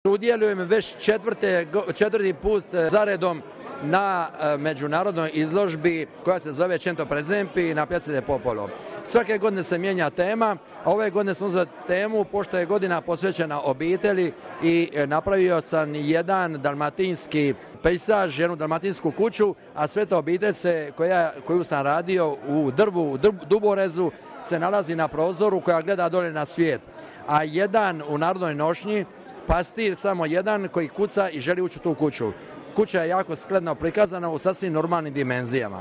Udjelujem već četvrti put zaredom na međunarodnoj izložbi koja se zove Cento Presenti na Piazza del Popolo. Svake godine se mijenja tema, a ove godine sam uzeo temu pošto je godina posvećena obitelji i napravio sam jedan dalmatinski pejsaž, jednu dalmatinsku kuću, a sve to obitelj koju sam radio u Duborezu se nalazi na prozoru koja gleda dolje na svijet. A jedan u narodnoj nošnji, pastir samo jedan koji kuca i želi ući u tu kuću. Kuća je jako skladno prikazana u sasvim normalnim dimenzijama.